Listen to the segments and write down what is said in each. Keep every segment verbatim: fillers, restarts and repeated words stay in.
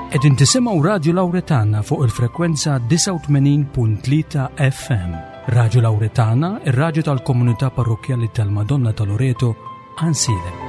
Qegħdin tisimgħu Radju Lawretana fuq il-frekwenza disgħa u tmenin punt tlieta F M. Radju Lawretana, ir-radju tal-Komunità Parrokkjali tal-Madonna ta' Loreto, Għajnsielem.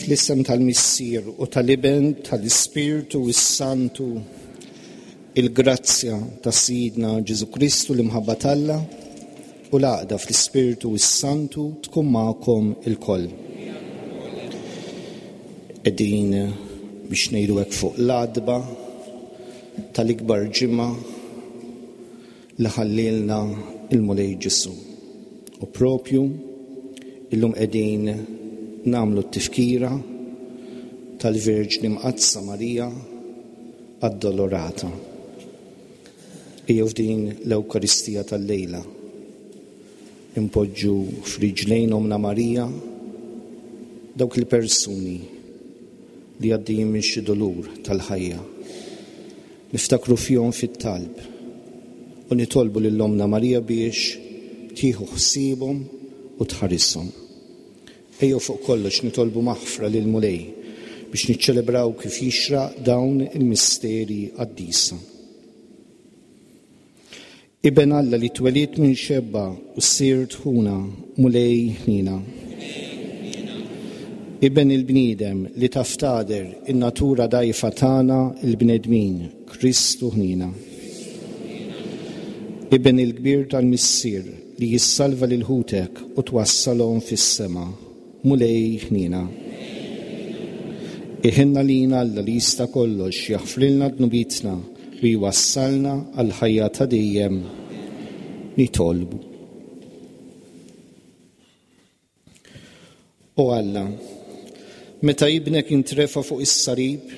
Fl-isem tal-Missier u tal-Iben tal-Ispirtu s-Santu, il-grazzja ta' Sidna Ġesu Kristu, l-imħabba t'Alla u l-għaqda fl-Ispirtu s-Santu tkun magħkom ilkoll. Qegħdin biex ngħidu hekk fuq l-għatba tal-ikbar ġimgħa li ħallilna il-Mulej Ġesu. U propju illum qegħdin nagħmlu t-tifkira tal-Verġni Mqaddsa Marija Addolorata. Ejjew f'din l-Ewkaristija tal-lejla impoġġu f'riġlejn Ommna Marija dawk il-persuni li għaddejjin minn xi dolur tal-ħajja. Niftakru fihom fit-talb u nitolbu lil Ommna Marija biex tieħu ħsiebhom u tħarishom. Ejjew fuq kollox nitolbu maħfra lil Mulej biex niċċelebraw kif jixraq dawn il-misteri qaddisa. Iben Alla li twelidt minn xebba u sirt ħuna, Mulej ħnina. Iben il-bniedem li taf tagħder in-natura dgħajfa tagħna il-bnedmin, Kristu ħnina. Iben il-kbir tal-Missier li jissalva lil ħutek u twassalhom fis-sema, Mulej ħnina. Iħenna lina Alla li jista' kollox jaħfrilna dnubietna u jwassalna għall-ħajja ta' dejjem. Nitolbu. O Alla, meta ibnek intrefa fuq is-salib,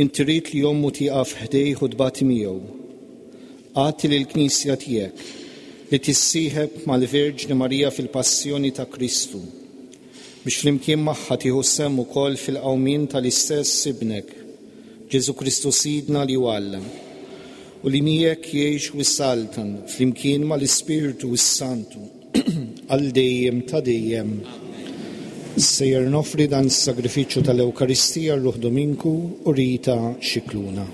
inti ridt li ommu tieqaf ħdejh u tbati miegħu. Agħti lill-Knisja tiegħek li tissieħeb mal-Verġni Marija fil-passjoni ta' Kristu, biex flimkien magħha tieħu sehem ukoll fil-qawmien tal-istess ibnek, Ġesu Kristu Sidna li hu Alla, u li miegħek jgħix u jsaltan flimkien mal-Ispirtu s-Santu għal dejjem ta' dejjem. Sejjer noffri dan is-sagrifiċċju tal-Ewkaristija r-Ruħ Dominku u Rita Scicluna.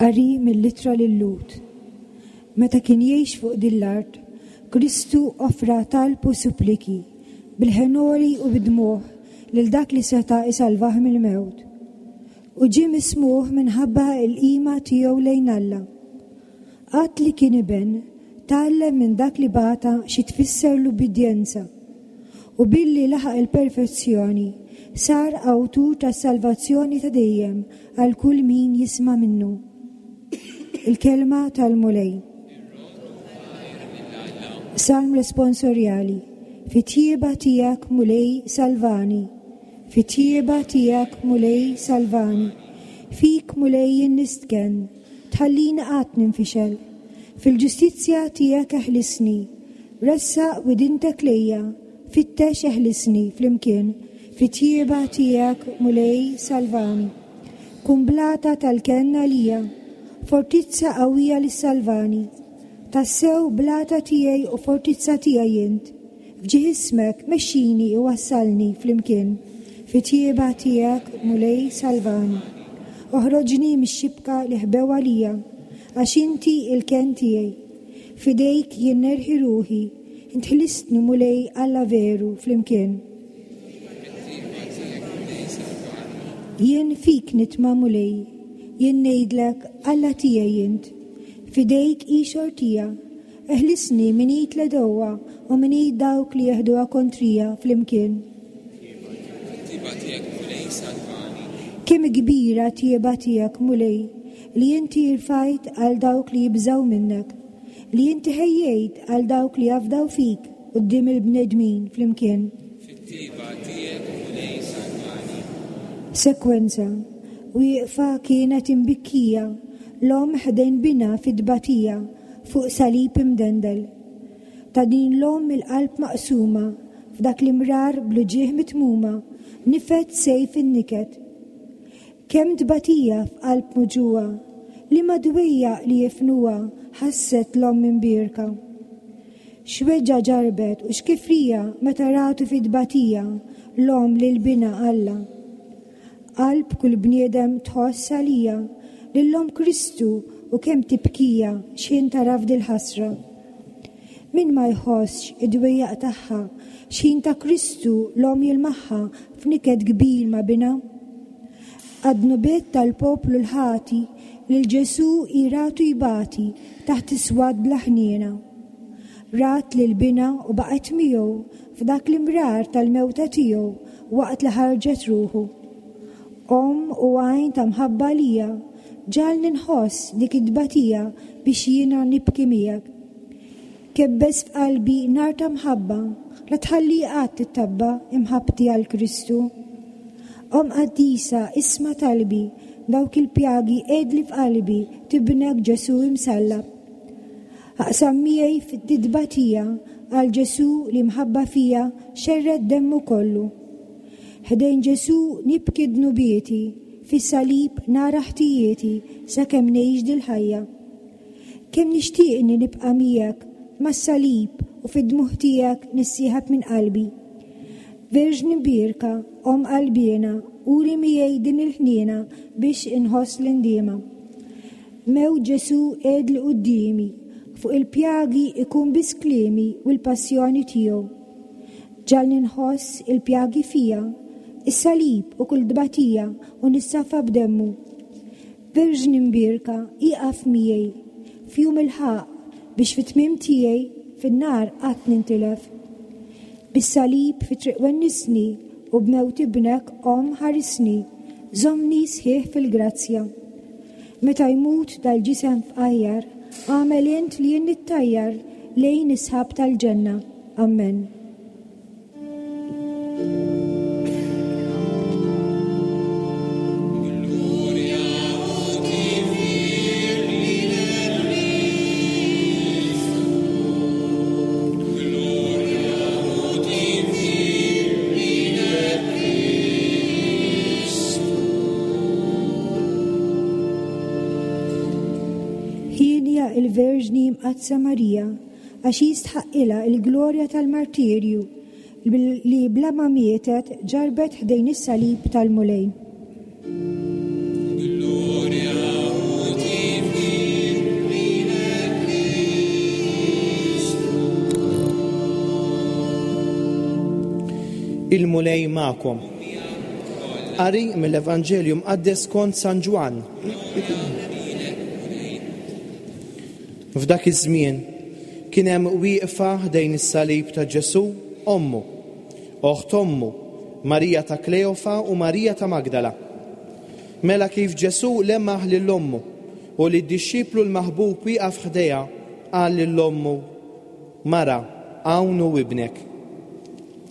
Qari mill-ittra lil-Lhud. Meta kien jgħix fuq din l-art, Kristu offra talb u suppliki bil-ħenori u bid-dmugħ lil dak li seta' isalvah mill-mewt. U ġie mismuħ minħabba l-qima tiegħu lejn Alla. Qatt li kien iben, tgħallem minn dak li bata xi tfisser l-ubbidjenza. U billi laħaq il-perfezzjoni, sar awtur tas-salvazzjoni ta' dejjem għal kull min jisma' minnu. Il-kelma tal-Mulej. Salm responsorjali. Fit-tjieba tiegħek Mulej salvani. Fit-tjieba tiegħek Mulej salvani. Fik Mulej jien nistkenn, tħallini qatt ninfixel. Fil-ġustizzja tiegħek eħlisni. Ressaq widintek lejja, fittex eħlisni flimkien. Fit-tjieba tiegħek Mulej salvani. Kun blata tal-kenn għalija fortizza qawwija li salvani. Tassew blata tiegħi u fortizza tiegħi int. F'ġieħ ismek mexxini u wassalni flimkien. Fit-tjieba tiegħek Mulej salvani. Oħroġni mix-xibka li ħbew għalija, għax inti il-kenn tiegħi. Fidejk jien nerħi ruħi, int ħlistni Mulej Alla veru flimkien. Jien fik nitma' Mulej, jien ngħidlek Alla tiegħi int. Fidejk hi xortija, eħlisni minn id l-għedewwa u minn id dawk li jeħduha kontrija flimkien. Kemm kbira tjieba tiegħek Mulej, li inti rfajt għal dawk li jibżgħu minnek, li inti ħejjejt għal dawk li jafdaw fik quddiem il-bnedmin flimkien. Sekwenza. Wieqfa kienet imbikkija, l-omm ħdejn binha fit-tbatija fuq salib imdendel. Ta' din l-omm il-qalb maqsuma, f'dak l-imrar bl-uġigħ mitmuma, nifed sejf in-niket. Kemm tbatija f'qalb muġugħa, li madwejja li jifnuha ħasset l-omm imbierka. X'weġġa ġarbet u x'kifrija meta ratu fit-tbatija l-omm lil binha Alla. Qalb kull bniedem tħoss għalija lill-omm Kristu u kemm tibkija x'ħin tara f'dil-ħasra. Min ma jħossx id-dwejjaq tagħha x'ħin ta' Kristu l-omm jilmaħħa f'niket kbir ma' binha. Għad-dnubiet tal-poplu l-ħati lil Ġesù iratu jbati taħt iswad bla ħniena. Rat lil binha u baqgħet miegħu f'dak l-imrar tal-mewta tiegħu waqt li ħarġet ruħu. Omm u għajn ta' mħabba lija, ġagħalni nħoss dik it-tbatija biex jiena nibki miegħek. Kebbes f'qalbi nar ta' mħabba, la tħalli qatt tittabba imħabbti għal Kristu. Omm qaddisa, isma' talbi, dawk il-pjagi għedli f'qalbi tibnek Ġesù imsallab. Aqsam miegħi fid-tbatija għal Ġesù li mħabba fija xerred demmu kollu. Ħdejn Ġesù nibki dnubieti, fis-salib nara ħtijieti sakemm ngħix dil-ħajja. Kemm nixtieqni nibqa' miegħek mas-salib u fid-dmugħ tiegħek nissieħab minn qalbi. Verġni mbierka, omm qalbiena, uri miegħi din il-ħniena biex inħoss l-indiema. Mewt Ġesù għedli quddiemi, fuq il-pjagi ikun biss kliemi u l-passjoni tiegħu. Ġagħalni nħoss il-pjagi fija, is-salib u kull tbatija u nissafa b'demmu. Verġni mbierka, ieqaf miegħi, f'jum il-ħaqq biex fit-tmiem tiegħi fin-nar qatt nintilef. Bis-salib fi triq wennisni u b'mewt ibnek omm ħarisni, żommni sħiħ fil-grazzja. Meta jmut dal-ġisem fqajjar, għamel int li jien nittajjar lejn is-sħab tal-ġenna. Amen. Il-Verġni Mqaddsa Marija, għax jistħaqqilha l-glorja tal-martirju li bla ma mietet ġarbet ħdejn is-salib tal-Mulej. Il-Mulej magħkom. Qari mill-Evanġelju Mqaddes kont San Ġwann. F'dak iż-żmien kien hemm wieqfa ħdejn is-salib ta' Ġesù ommu, oħt ommu, Marija ta' Kleofa u Marija ta' Magdala. Mela kif Ġesù lemmaħ lil ommu u li d-dixxiplu l-maħbub wieqaf ħdejha, qal lil ommu, Mara, hawn hu ibnek.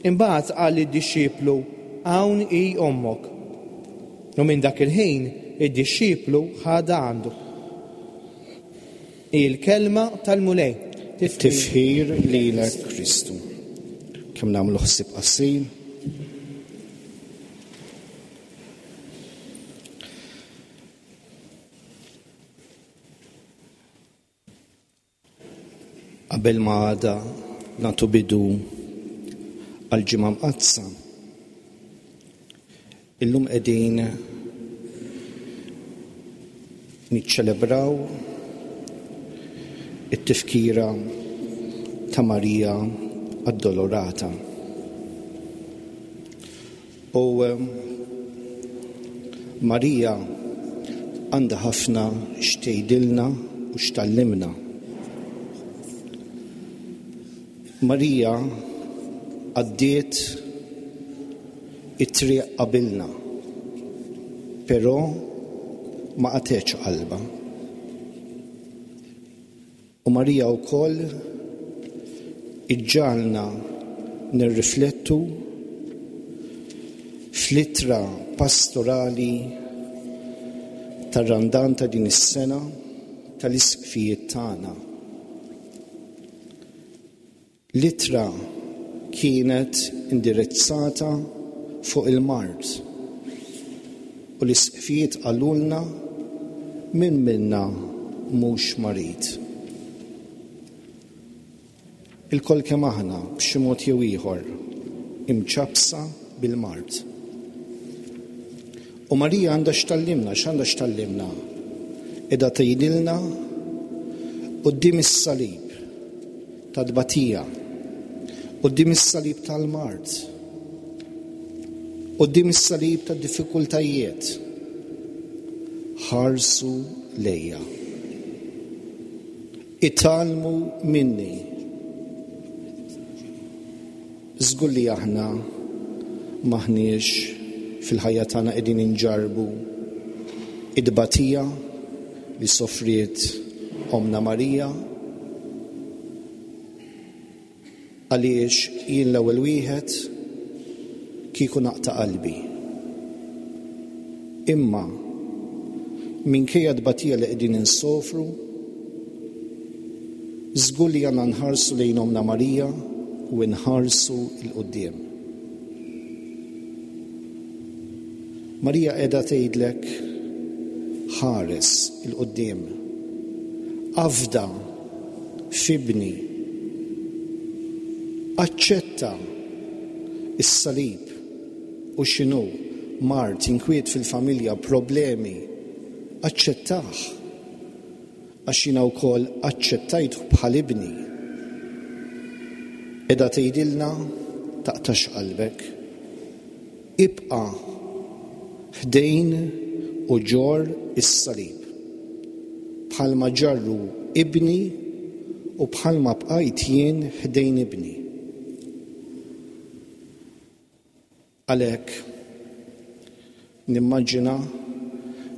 Imbagħad qal lid-dixxiplu, hawn hi ommok. U minn dak il-ħin id-dixxiplu ħadha għandu. Il-kelma tal-Mulej. Tifħir lilek Kristu. Kemm nagħmlu ħsieb qasir. Qabel ma għada nagħtu bidu għall-Ġimgħa Mqaddsa, illum qegħdin niċċelebraw it-tifkira ta' Marija Addolorata. U Marija għandha ħafna x'tgħidilna u x'tallimna. Marija għaddiet it-triq qabilna, però ma qatgħetx qalbha. U Marija wkoll iġġalna nirriflettu fl-ittra pastorali tar-Randan ta' din is-sena tal-isqfijiet tagħna. L-ittra kienet indirizzata fuq il-mard u l-isqfijiet qalulna min minna mhux marid. Ilkoll kemm aħna b'xi mod jew ieħor imċappsa bil-mard. U Marija għandha x'tallimna, x'għandha x'tallimna? Qiegħda tgħidilna quddiem is-salib ta' tbatija, quddiem is-salib tal-mard, quddiem is-salib ta' diffikultajiet, ħarsu lejja. Itgħallmu minni. Żgur li aħna m'aħniex fil-ħajja tagħna qegħdin inġarrbu id-tbatija li sofriet Omna Marija, għaliex jien l-ewwel wieħed kieku naqta' qalbi. Imma minkejja tbatija li qegħdin insofru, żgur li għandna nħarsu lejn Omna Marija u nħarsu 'l quddiem. Marija qiegħda tgħidlek ħares 'il quddiem, afda f'ibni, aċċetta is-salib u x'inhu mard, inkwiet fil-familja, problemi, aċċettah għax jiena wkoll aċċettajtu bħal ibni. Qiegħda tgħidilna taqtax qalbek, ibqa' ħdejn u ġor is-salib bħalma ġarru ibni u bħalma bqajt jien ħdejn ibni. Għalhekk nimmaġina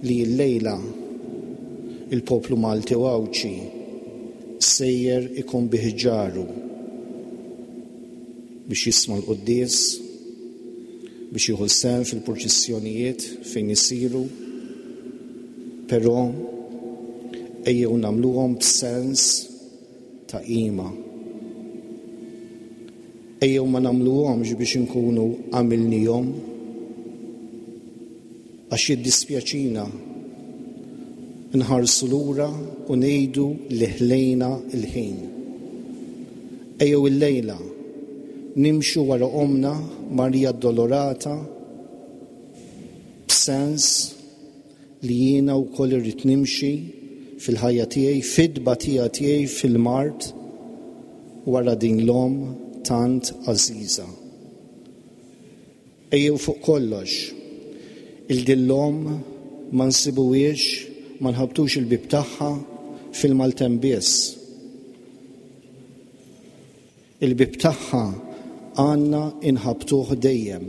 li l-lejla il-poplu Malti u Għawdxi sejjer ikun biħġaru biex jisma' l-quddies, biex jieħu sehem fil-purċissjonijiet fejn isiru, però ejjew nagħmluhom b'sens ta' qima. Ejjew ma nagħmluhomx biex inkunu għamilnihom, għax jiddispjaċina nħarsu lura u ngħidu li ħlejna l-ħin. Ejjew illejla nimxu wara Omna Marija Addolorata b'sens li jiena wkoll irrid nimxi fil-ħajja tiegħi, fid-tbatija tiegħi, fil-mard wara din l-omm tant għażiża. Ejjew fuq kollox, il din l-omm ma nsibuhiex, ma nħabtux il-bib tagħha fil-maltemp biss. Il-bib tagħha għandna inħabtuh dejjem.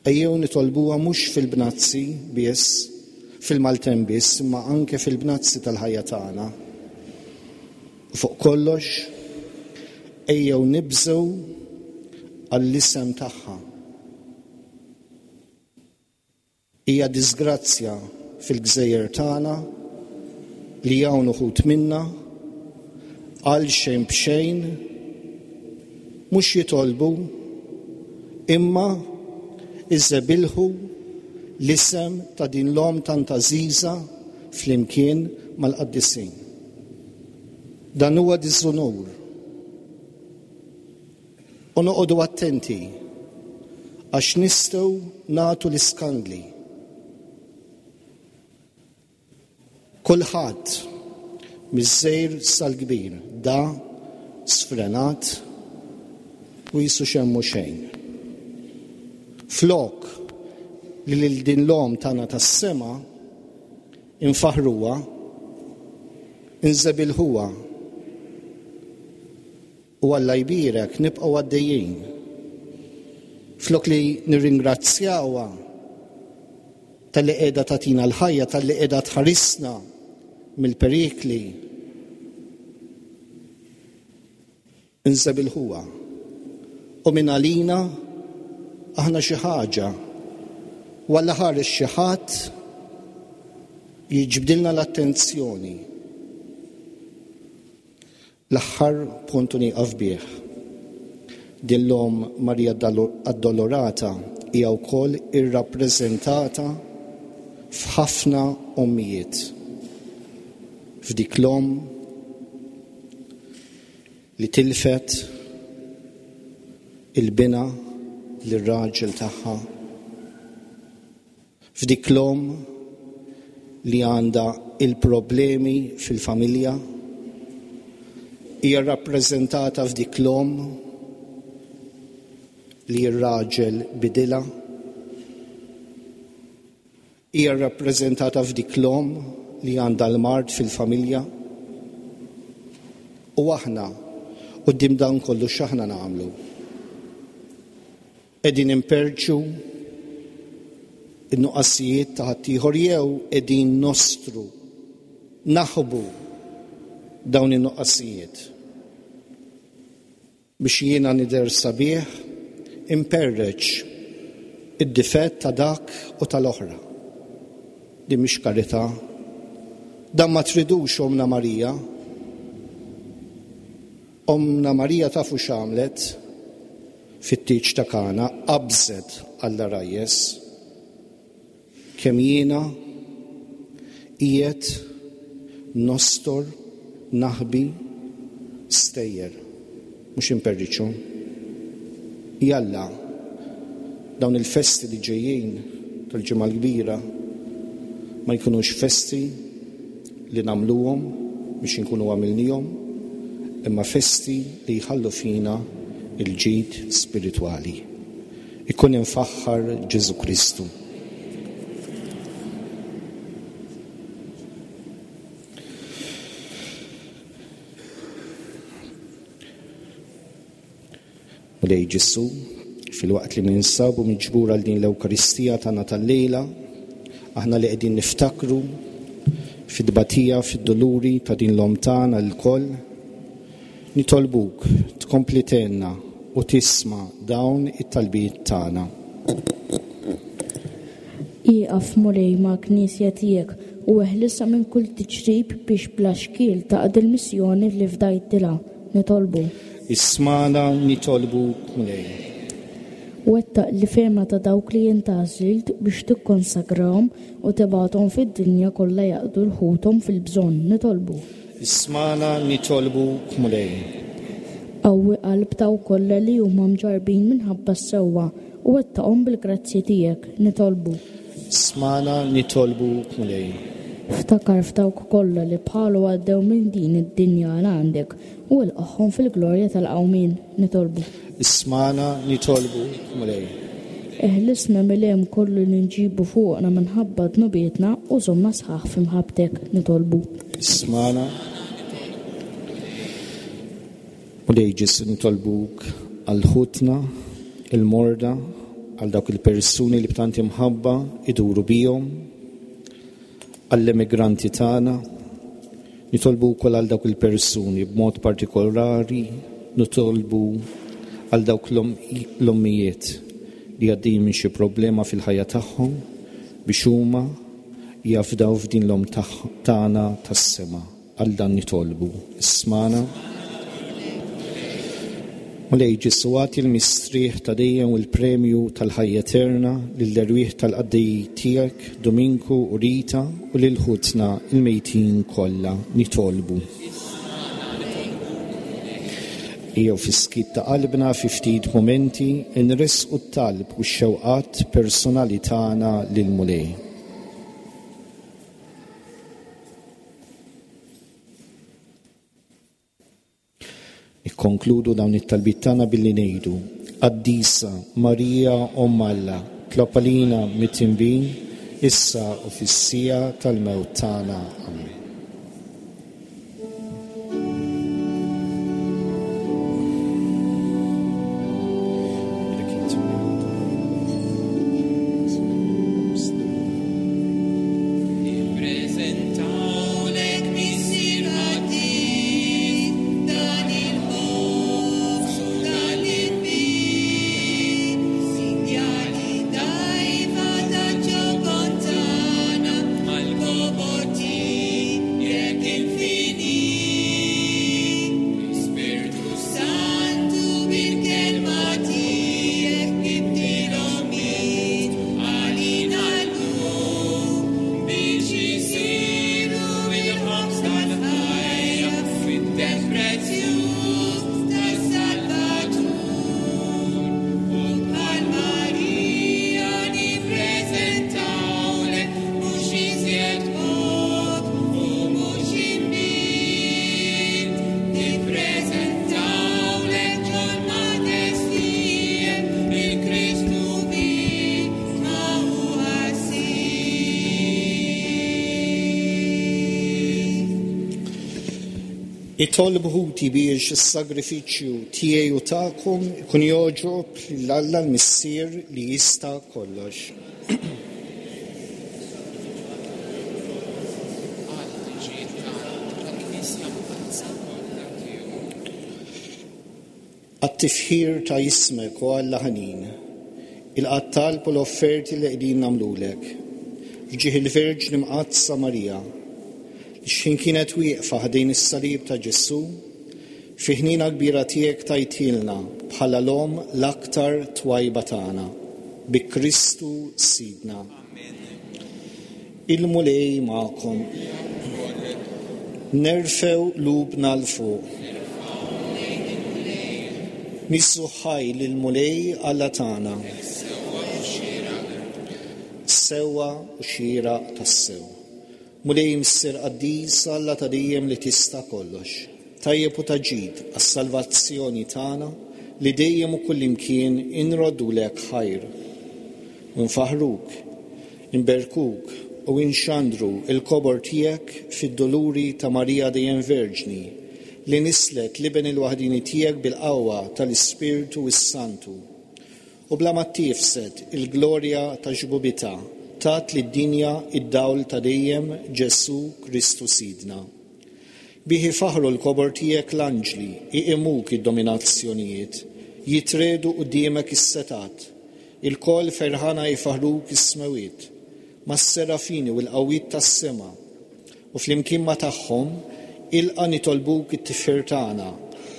Ejjew nitolbuha mhux fil-bnazzi biss, fil-maltemp biss, imma anke fil-bnazzi tal-ħajja tagħna. U fuq kollox, ejjew nibżgħu għall-isem tagħha. Hija disgrazzja fil-gżejjer tagħna li hawn uħud minna għal xejn b'xejn mhux jitolbu imma iżebilħu l-isem ta' din l-omm tant għażiża flimkien mal-qaddisin. Dan huwa diżunur. U noqogħdu attenti għax nistgħu nagħtu l-iskandli. Kulħadd miż-żgħir sal-kbir da sfrenat u jisu xemmu xejn. Flok li lil din l-omm tagħna tas-sema infaħruha, inżebilħuha u Alla jbierek nibqgħu għaddejjin. Flok li nirringrazzjawha talli qiegħda tagħtina l-ħajja, talli qiegħda tħarisna mill-perikli, inżebilħuha. U minn għalina aħna xi ħaġa, u Alla ħares xi ħadd jiġbdilna l-attenzjoni. L-aħħar punt nieqaf bih. Din l-omm Marija Addolorata hija wkoll irrappreżentata f'ħafna ommijiet. F'dik l-omm li tilfet il-bina lir-raġel tagħha, f'dik l-omm li għandha il-problemi fil-familja, hija rappreżentata f'dik l-omm li r-raġel bidilha, hija rappreżentata f'dik l-omm li għandha l-mard fil-familja. U aħna quddiem dan kollu x'aħna nagħmlu? Qegħdin imperċu in-nuqqasijiet ta' ħaddieħor jew qegħdin nostru naħbu dawn in-nuqqasijiet biex jiena nidher sabiħ imperreċ id-difett ta' dak u tal-oħra. Din mhix karità. Dan ma tridux Omna Marija. Omna Marija tafu x'għamlet fit-tieġ ta' Kana, qabżet għall-għarajjes. Kemm jiena qiegħed nostor naħbi stejjer, mhux imperriċu. Jalla, dawn il-festi li ġejjin tal-Ġimgħa l-Kbira ma jkunux festi li nagħmluhom biex inkunu għamilnihom, imma festi li jħallu fina il-ġid spiritwali. Ikun infaħħar Ġesu Kristu. Mulej Ġesu, fil-waqt li ninsabu miġbura għal din l-Ewkaristija tagħna tal-lejla, aħna li qegħdin niftakru fid-tbatija, fid-doluri ta' din l-omm tagħna lkoll, nitolbuk tkompli tgħinna u tisma' dawn it-talbiet tagħna. Ieqaf Mulej mal-Knisja tiegħek u eħlisha minn kull tiġrib biex bla xkiel taqdi l-missjoni li fdajtilha. Nitolbu. Ismana nitolbuk Mulej. Wettaq li fehma ta' dawk li intgħażilt biex tikkonsagrahom u tibgħathom fid-dinja kollha jaqdu l-ħuthom fil-bżonn. Nitolbu. Ismana nitolbuk Mulej. Qawwi qalb dawk kollha li huma mġarrbin minħabba s-sewwa u wettaqhom bil-grazzji tiegħek. Nitolbu. Ismana nitolbuk Mulej. Ftakar f'dawk kollha li bħalu għaddew minn din id-dinja għal għandek u ilqagħhom fil-glorja tal-qawmien. Nitolbu. Ismana nitolbu Mulej. Eħlisna mill-hemm kollu li nġibu fuqna minħabba dnubietna u żommna sħaħ f'imħabbtek. Nitolbu. Ismana. Mulej Ġesu nitolbuk għal ħutna il-morda, għal dawk il-persuni li b'tant imħabba iduru bihom, għall-emigranti tagħna, nitolbu wkoll għal dawk il-persuni b'mod partikolari, nitolbu għal dawk l-ommijiet li għaddejjin minn xi problema fil-ħajja tagħhom biex huma jafdaw f'din l-omm tagħna tas-sema. Għal dan nitolbu. Ismana. Mulej Ġesu, agħti l-mistrieħ ta' dejjem u l-premju tal-ħajja eterna lill-erwieħ tal-qaddej tiegħek Dominku u Rita u lil ħutna il-mejtin kollha. Nitolbu. Ejjew fis-skiet ta' qalbna fi ftit mumenti nressqu t-talb u x-xewqat personali tagħna lill-Mulej. Nikkonkludu dawn it-talbiet tagħna billi ngħidu: Qaddisa Marija Omm Alla, tlob għalina midinbin, issa u fis-siegħa tal-mewt tagħna. Amen. Itolbu ħuti biex is-sagrifiċċju tiegħi u tagħkom ikun jogħġob lil Alla l-Missier li jista' kollox. Għat-tifħir ta' ismek o Alla ħanin, il-qattal u l-offerti li qegħdin nagħmlulek, f'ġieħ il-Verġni Mqaddsa Marija, x'ħin kienet wieqfa ħdejn is-salib ta' Ġesù, fi ħnina kbira tiegħek tajtilna bħala l-om l-aktar twajba tagħna, bi Kristu Sidna. Il-Mulej magħkom. Nerfew qlubna 'l fuq. Nissu ħaj lill-Mulej Alla tagħna. Sewwa u xieraq tassew. Mulej Missier Qaddis, Alla ta' dejjem li tista' kollox, tajjeb u ta' ġid għas-salvazzjoni tagħna li dejjem u kullimkien inroddulek ħajr. U nfaħruk, inberkuk u inxandru il-kobor tiegħek fid-doluri ta' Marija dejjem Verġni, li nislet l-Iben il-waħdini tiegħek bil-qawwa tal-Ispirtu s-Santu. U bla ma tifsed il-glorja ta' xbubitha, tat lid-dinja id-dawl ta' dejjem Ġesù Kristu Sidna. Bihi faħru l-kobor tiegħek l-anġli, iqimuk id-dominazzjonijiet, jitredu quddiemek is-setat, il-koll ferħana jfaħruk is-smewiet, mas-serafini u l-qawwiet tas-sema, u flimkien ma tagħhom ilqa nitolbuk it-tifħir tagħna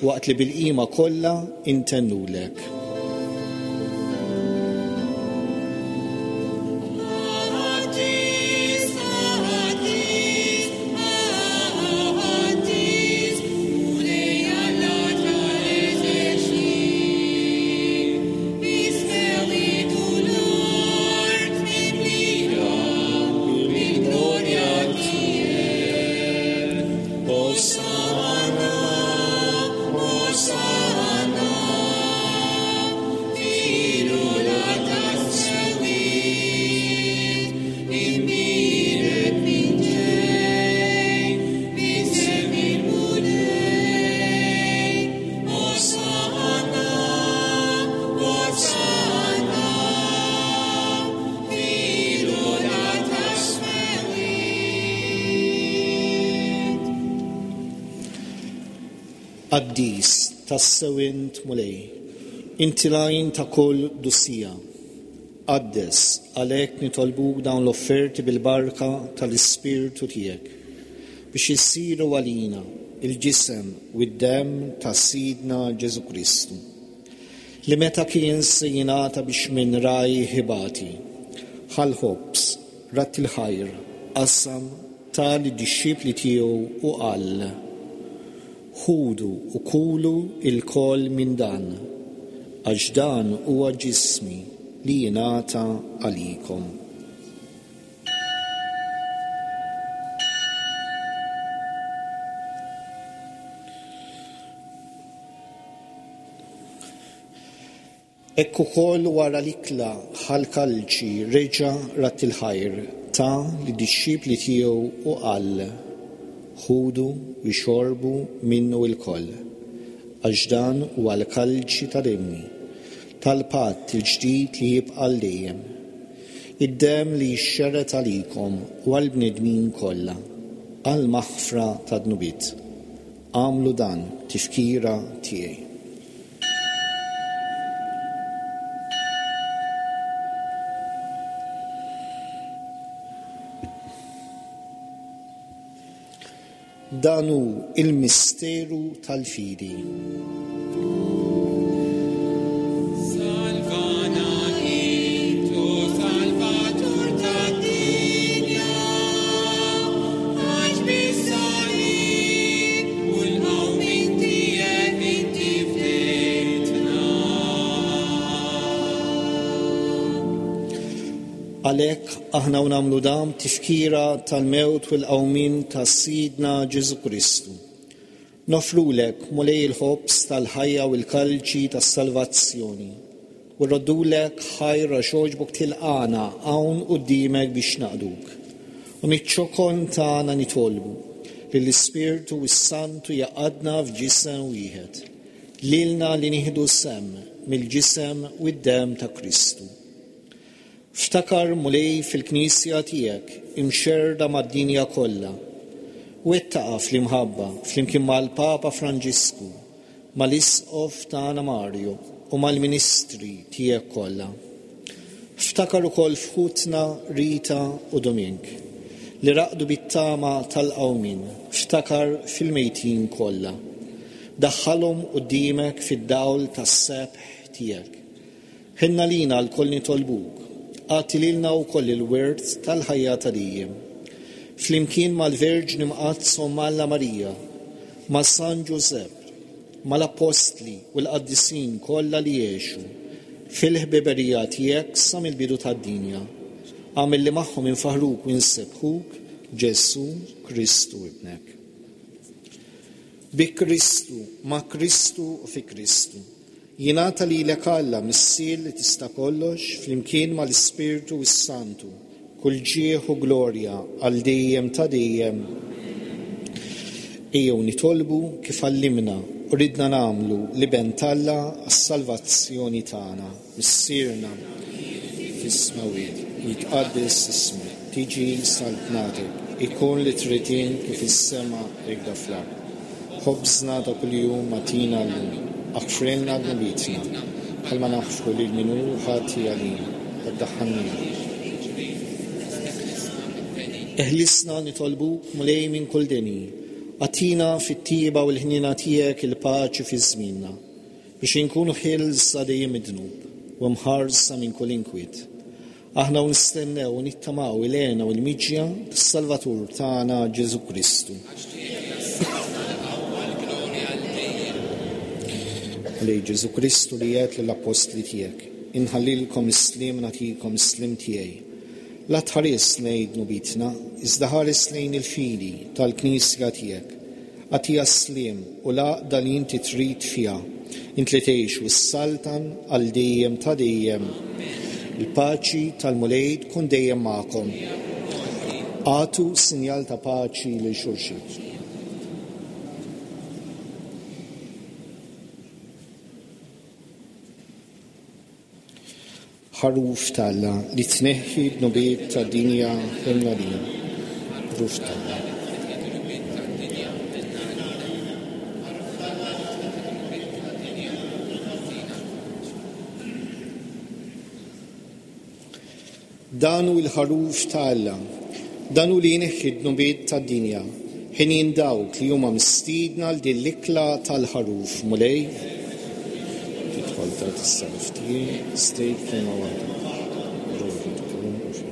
waqt li bil-qima kollha intennulek. Qaddis tassew int Mulej, inti l-għajn ta' kull qdusija. Qaddes, għalhekk nitolbuk dawn l-offerti bil-barka tal-Ispirtu tiegħek, biex issiru għalina il-ġisem u d-demm ta' Sidna Ġesù Kristu, li meta kien se jingħata biex minn rajh ibati, ħall-ħobż, radd il-ħajr, qasam, ta lid-dixxipli tiegħu u qal: Ħudu u kulu ilkoll minn dan, għax dan huwa ġismi li jingħata għalikom. Hekk ukoll wara l-ikla ħa l-kalċi reġa' radd il-ħajr ta lid-dixxipli tiegħu u qal: Ħudu u xorbu minnu lkoll, għax dan huwa l-kalċi ta' demmi, tal-patt il-ġdid li jibqa' għal dejjem. Id-demm li jixxerred għalikom u għall-bnedmin kollha, għall-maħfra ta' dnubiet. Agħmlu dan tifkira tiegħi. Dan hu il-misteru tal-fidi. Salvana int, o Salvatur tad-dinja, għax bis-salib u l-qawmien tiegħek inti fdejtna. Għalhekk aħna u nagħmlu dan tifkira tal-mewt u l-qawmien ta' Sidna Ġesù Kristu. Nofrulek, Mulej, il-ħobż tal-ħajja u l-kalċi tas-salvazzjoni, u rroddulek ħajr għax għoġbok tilqana hawn quddiemek biex naqduk. U miċ-ċokon tagħna nitolbu li l-Ispirtu s-Santu jaqadna f'ġisem wieħed, lilna li nieħdu sehem mill-ġisem u d-demm ta' Kristu. Ftakar, Mulej, fil-Knisja tiegħek imxerrda mad-dinja kollha, u wettaqa fl-imħabba flimkien mal-Papa Franġisku, mal-Isqof tagħna Mario u mal-Ministri tiegħek kollha. Ftakar ukoll f'ħutna Rita u Domink li raqdu bit-tama tal-qawmien, ftakar fil-mejtin kollha. Daħħalhom quddiemek fid-dawl tas-sebħ tiegħek. Ħenna lina lkoll nitolbuk, agħti lilna wkoll il-wirt tal-ħajja ta' dejjem. Flimkien mal-Verġni Mqaddsa u Alla Marija, ma' San Ġużepp, mal-Appostli u l-Qaddisin kollha li għexu fil-ħbiberija tiegħek sa mill-bidu tad-dinja. Agħmel li magħhom infaħruk u nsebbħuk, Ġesù Kristu ibnek. Bi Kristu, ma' Kristu u fi Kristu, jingħata lilek Alla Missier li tista' kollox flimkien mal-Ispirtu s-Santu, kull ġieħ u glorja għal dejjem ta' dejjem. Ejjew nitolbu kif għallimna u ridna nagħmlu l-Iben t'Alla għas-salvazzjoni tagħna. Missierna fis-smewwiet, jitqaddes ismek, tiġi saltnatek, ikun li trid int kif is-sema hekk fl-art. Ħobżna ta' kuljum agħtina llum, aħfrilna dnubietna, bħalma naħfru lil min hu ħati għalina, la ddaħħalniex. Eħlisna nitolbuk, Mulej, minn kull deni, agħtina fit-tiba u l-ħniena tiegħek il-paċi fi żmienna, biex inkunu ħielsa dejjem mid-dnub u mħarsa minn kull inkwiet. Aħna u nistennew u nittamaw il-hena u l-miġja tas-Salvatur tagħna Ġesù Kristu. Mulej Ġesù Kristu li għedt lill-appostli tiegħek, inħallilkom is-sliem nagħtikom is-sliem tiegħi. La tħares lejn dnubietna, iżda ħares lejn il-fidi tal-Knisja tiegħek. Agħtiha s-sliem u l-għaqda li inti trid fiha, int li tgħix u s-saltan għal dejjem ta' dejjem. Il-paċi tal-Mulej tkun dejjem magħkom. Agħtu sinjal ta' paċi lil xulxin. Ħaruf t'Alla li tneħħi d-dnubiet tad-dinja ħenna lina. Ħaruf t'Alla. Dan hu l-ħaruf t'Alla, dan hu li jneħħi d-dnubiet tad-dinja. Ħinin dawk li huma mistiedna għal din l-ikla tal-ħaruf. Mulej, tidħol ta' is-salib tiegħi, stejt kelma waħda. Ruħi tkun u fi.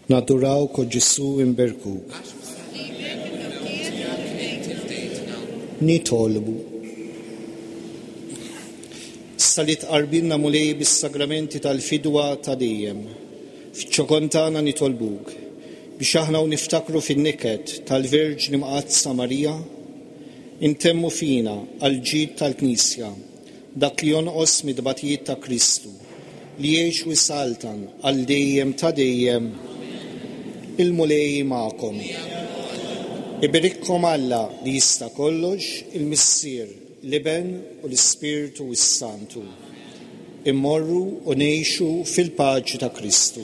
Nadurawk, o Ġesù, inberkuk. Nitolbu. Issa li tqarbinna, Mulej, bis-sagramenti tal-fidwa ta' dejjem, fiċ-ċokon tagħna nitolbuk biex aħna u niftakru fin-niket tal-Verġni Mqaddsa Marija, intemmu fina għall-ġid tal-Knisja dak li jonqos mid-tbatijiet ta' Kristu, li jgħix u jsaltan għal dejjem ta' dejjem. Il-Mulej magħkom. Iberikkom Alla li jista' kollox, il-Missier, l-Iben u l-Ispirtu s-Santu. Immorru u ngħixu fil-paċi ta' Kristu.